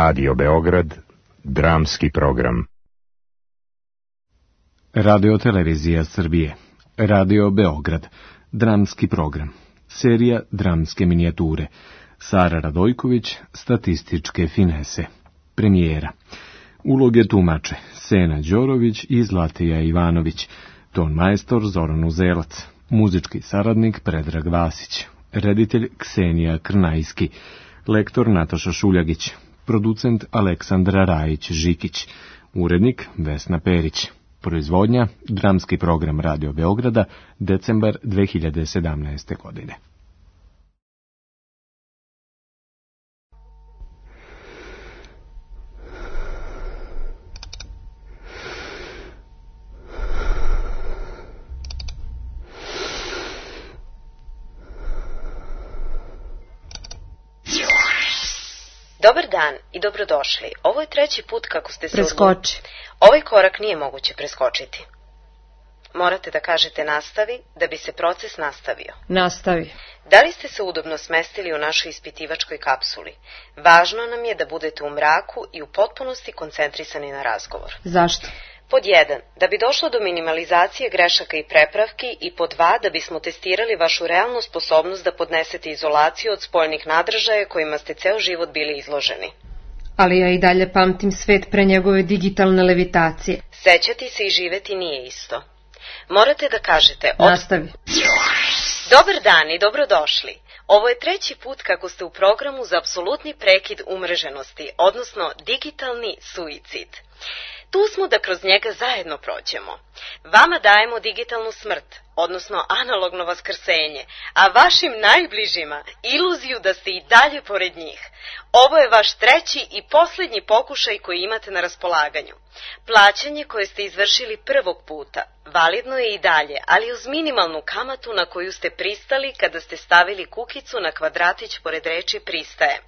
Radio Beograd, dramski program. Radio-televizija Srbije, Radio Beograd, dramski program, serija dramske minijature, Sara Radojković, statističke finese, premijera, uloge tumače, Sena Đorović i Zlatija Ivanović, ton majstor Zoran Uzelac, muzički saradnik Predrag Vasić, reditelj Ksenija Krnajski, lektor Nataša Šuljagić, producent Aleksandra Rajić-Žikić, urednik Vesna Perić. Proizvodnja, dramski program Radio Beograda, decembar 2017. godine. Dobar dan i dobrodošli. Ovo je treći put kako ste se Preskoči. Ovaj korak nije moguće preskočiti. Morate da kažete nastavi da bi se proces nastavio. Nastavi. Da li ste se udobno smestili u našoj ispitivačkoj kapsuli? Važno nam je da budete u mraku i u potpunosti koncentrisani na razgovor. Zašto? Pod 1, da bi došlo do minimalizacije grešaka i prepravki, i pod 2, da bismo testirali vašu realnu sposobnost da podnesete izolaciju od spoljnih nadražaja kojima ste ceo život bili izloženi. Ali ja i dalje pamtim svet pre njegove digitalne levitacije. Sećati se i živeti nije isto. Morate da kažete... Nastavi. Dobar dan i dobrodošli. Ovo je treći put kako ste u programu za apsolutni prekid umreženosti, odnosno digitalni suicid. Tu smo da kroz njega zajedno prođemo. Vama dajemo digitalnu smrt, odnosno analogno vaskrsenje, a vašim najbližima iluziju da ste i dalje pored njih. Ovo je vaš treći i posljednji pokušaj koji imate na raspolaganju. Plaćanje koje ste izvršili prvog puta validno je i dalje, ali uz minimalnu kamatu na koju ste pristali kada ste stavili kukicu na kvadratić pored reči pristajem,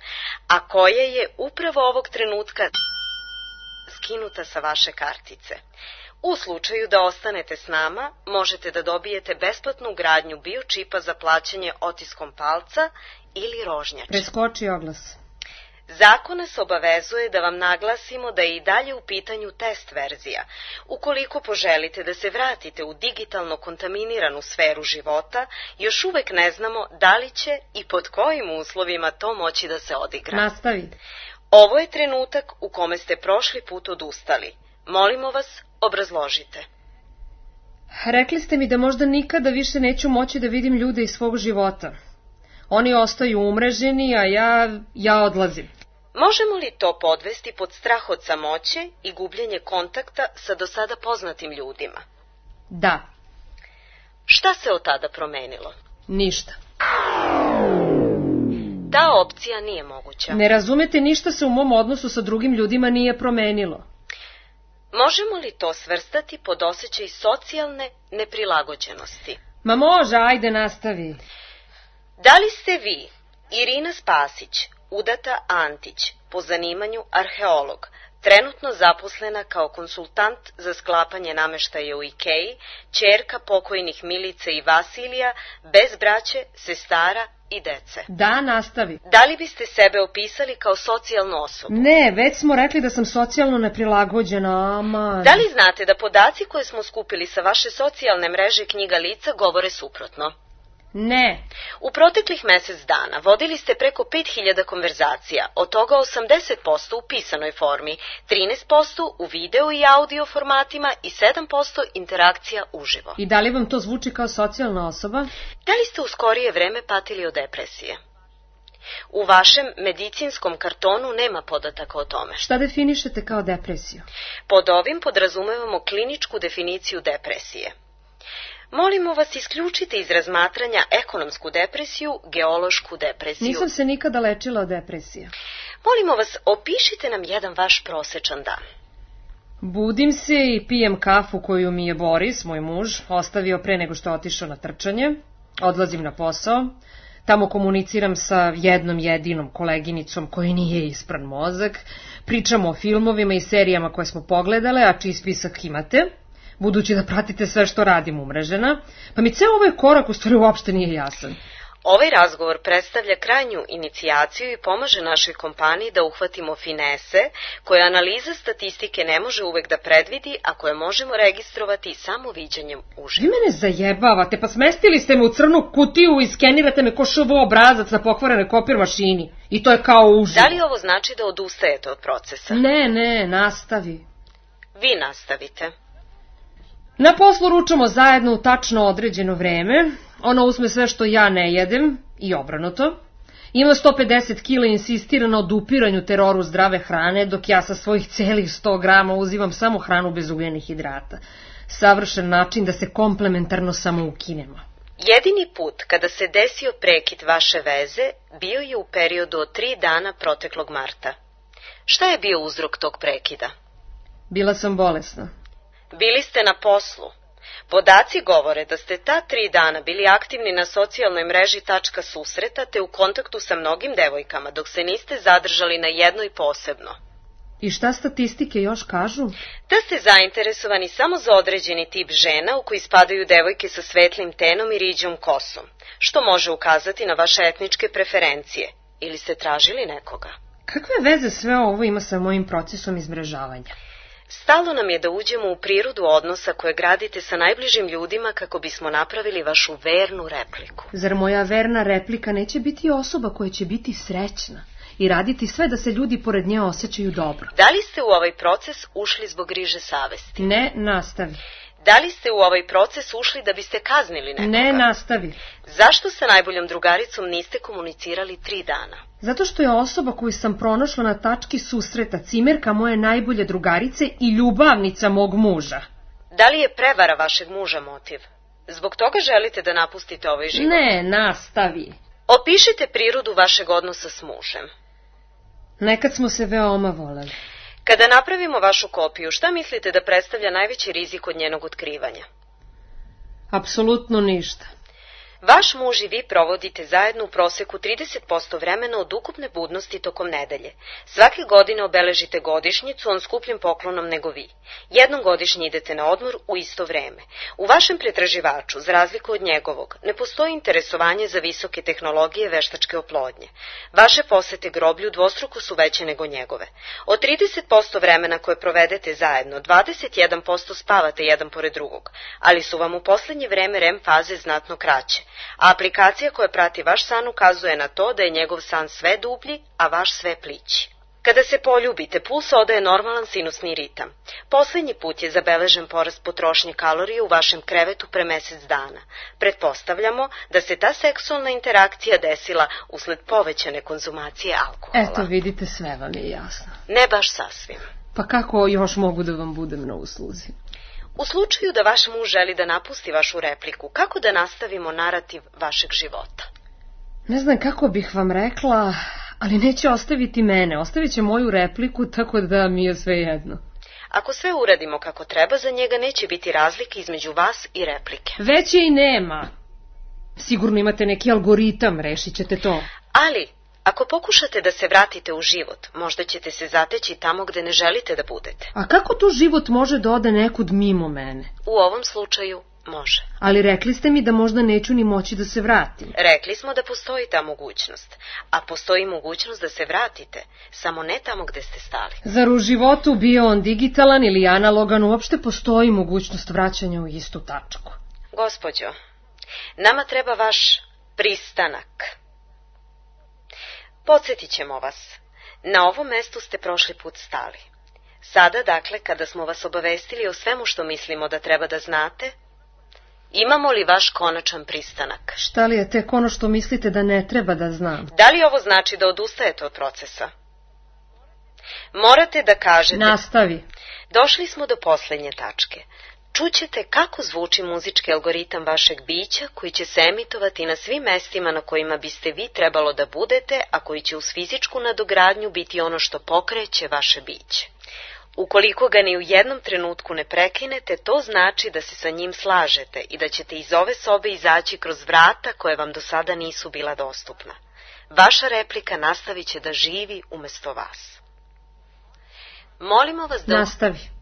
a koja je upravo ovog trenutka skinuta sa vaše kartice. U slučaju da ostanete s nama, možete da dobijete besplatnu ugradnju biočipa za plaćanje otiskom palca ili rožnjača. Preskoči oglas. Zakon nas obavezuje da vam naglasimo da je i dalje u pitanju test verzija. Ukoliko poželite da se vratite u digitalno kontaminiranu sferu života, još uvek ne znamo da li će i pod kojim uslovima to moći da se odigra. Nastavi. Ovo je trenutak u kome ste prošli put odustali. Molimo vas, obrazložite. Rekli ste mi da možda nikada više neću moći da vidim ljude iz svog života. Oni ostaju umreženi, a ja odlazim. Možemo li to podvesti pod strah od samoće i gubljenje kontakta sa do sada poznatim ljudima? Da. Šta se od tada promenilo? Ništa. Ta opcija nije moguća. Ne razumete, ništa se u mom odnosu sa drugim ljudima nije promenilo. Možemo li to svrstati pod osjećaj socijalne neprilagođenosti? Ma može, ajde nastavi. Da li ste vi, Irina Spasić, udata Antić, po zanimanju arheolog, trenutno zaposlena kao konsultant za sklapanje nameštaja u Ikeji, ćerka pokojnih Milice i Vasilija, bez braće, sestara i dece? Da, nastavi. Da li biste sebe opisali kao socijalnu osobu? Ne, već smo rekli da sam socijalno neprilagođena, ama... Da li znate da podaci koje smo skupili sa vaše socijalne mreže Knjiga lica govore suprotno? Ne. U proteklih mesec dana vodili ste preko 5000 konverzacija, od toga 80% u pisanoj formi, 13% u video i audio formatima i 7% interakcija uživo. I da li vam to zvuči kao socijalna osoba? Da li ste u skorije vreme patili od depresije? U vašem medicinskom kartonu nema podataka o tome. Šta definišete kao depresiju? Pod ovim podrazumevamo kliničku definiciju depresije. Molimo vas, isključite iz razmatranja ekonomsku depresiju, geološku depresiju. Nisam se nikada lečila od depresije. Molimo vas, opišite nam jedan vaš prosečan dan. Budim se i pijem kafu koju mi je Boris, moj muž, ostavio pre nego što je otišao na trčanje. Odlazim na posao. Tamo komuniciram sa jednom jedinom koleginicom koji nije ispran mozak. Pričamo o filmovima i serijama koje smo pogledale, a čiji spisak imate. budući da pratite sve što radim umrežena, pa mi ceo ovaj korak u stvari uopšte nije jasan. Ovaj razgovor predstavlja krajnju inicijaciju i pomaže našoj kompaniji da uhvatimo finese koje analiza statistike ne može uvek da predvidi, a koje možemo registrovati samo viđanjem uživo. Vi mene zajebavate, pa smestili ste me u crnu kutiju i skenirate me ko ŠV obrazac na pokvarenoj kopir mašini. I to je kao uživo. Da li ovo znači da odustajete od procesa? Ne, nastavi. Vi nastavite. Na poslu ručamo zajedno u tačno određeno vreme. Ona uzme sve što ja ne jedem i obrnuto. Ima 150 kila i insistira na odupiranju teroru zdrave hrane, dok ja sa svojih celih 100 grama uzimam samo hranu bez ugljenih hidrata. Savršen način da se komplementarno samo ukinemo. Jedini put kada se desio prekid vaše veze bio je u periodu od 3 dana proteklog marta. Šta je bio uzrok tog prekida? Bila sam bolesna. Bili ste na poslu. Podaci govore da ste ta 3 dana bili aktivni na socijalnoj mreži Tačka susreta te u kontaktu sa mnogim devojkama, dok se niste zadržali na jednoj posebno. I šta statistike još kažu? Da ste zainteresovani samo za određeni tip žena u koji spadaju devojke sa svetlim tenom i riđom kosom, što može ukazati na vaše etničke preferencije. Ili ste tražili nekoga? Kakve veze sve ovo ima sa mojim procesom izmrežavanja? Stalo nam je da uđemo u prirodu odnosa koje gradite sa najbližim ljudima kako bismo napravili vašu vernu repliku. Zar moja verna replika neće biti osoba koja će biti srećna i raditi sve da se ljudi pored nje osjećaju dobro? Da li ste u ovaj proces ušli zbog griže savesti? Ne, nastavi. Da li ste u ovaj proces ušli da biste kaznili nekoga? Ne, nastavi. Zašto sa najboljom drugaricom niste komunicirali 3 dana? Zato što je osoba koju sam pronašla na Tački susreta cimerka moje najbolje drugarice i ljubavnica mog muža. Da li je prevara vašeg muža motiv? Zbog toga želite da napustite ovaj život? Ne, nastavi. Opišite prirodu vašeg odnosa s mužem. Nekad smo se veoma voleli. Kada napravimo vašu kopiju, šta mislite da predstavlja najveći rizik od njenog otkrivanja? Apsolutno ništa. Vaš muž i vi provodite zajedno u proseku 30% vremena od ukupne budnosti tokom nedelje. Svake godine obeležite godišnjicu on skupljim poklonom nego vi. Jednom godišnje idete na odmor u isto vreme. U vašem pretraživaču, za razliku od njegovog, ne postoji interesovanje za visoke tehnologije veštačke oplodnje. Vaše posete groblju dvostruko su veće nego njegove. Od 30% vremena koje provedete zajedno, 21% spavate jedan pored drugog, ali su vam u poslednje vreme REM faze znatno kraće. A aplikacija koja prati vaš san ukazuje na to da je njegov san sve dublji, a vaš sve plići. Kada se poljubite, puls odaje normalan sinusni ritam. Poslednji put je zabeležen porast potrošnje kalorija u vašem krevetu pre mesec dana. Pretpostavljamo da se ta seksualna interakcija desila usled povećane konzumacije alkohola. Eto, vidite, sve vam je jasno. Ne baš sasvim. Pa kako još mogu da vam budem na usluzi? U slučaju da vaš muž želi da napusti vašu repliku, kako da nastavimo narativ vašeg života? Ne znam kako bih vam rekla, ali neće ostaviti mene. Ostavit će moju repliku, tako da mi je sve jedno. Ako sve uradimo kako treba, za njega neće biti razlike između vas i replike. Već je i nema. Sigurno imate neki algoritam, rešit ćete to. Ali, ako pokušate da se vratite u život, možda ćete se zateći tamo gde ne želite da budete. A kako to život može da ode nekud mimo mene? U ovom slučaju može. Ali rekli ste mi da možda neću ni moći da se vratim. Rekli smo da postoji ta mogućnost, a postoji mogućnost da se vratite, samo ne tamo gde ste stali. Zar u životu, bio on digitalan ili analogan, uopšte postoji mogućnost vraćanja u istu tačku? Gospođo, nama treba vaš pristanak. Podsjetit ćemo vas. Na ovom mestu ste prošli put stali. Sada, dakle, kada smo vas obavestili o svemu što mislimo da treba da znate, imamo li vaš konačan pristanak? Šta li je tek ono što mislite da ne treba da znam? Da li ovo znači da odustajete od procesa? Morate da kažete... Nastavi. Došli smo do poslednje tačke. Čućete kako zvuči muzički algoritam vašeg bića koji će se emitovati na svim mestima na kojima biste vi trebalo da budete, a koji će uz fizičku nadogradnju biti ono što pokreće vaše biće. Ukoliko ga ni u jednom trenutku ne prekinete, to znači da se sa njim slažete i da ćete iz ove sobe izaći kroz vrata koje vam do sada nisu bila dostupna. Vaša replika nastavit će da živi umesto vas. Molimo vas da... Nastavi.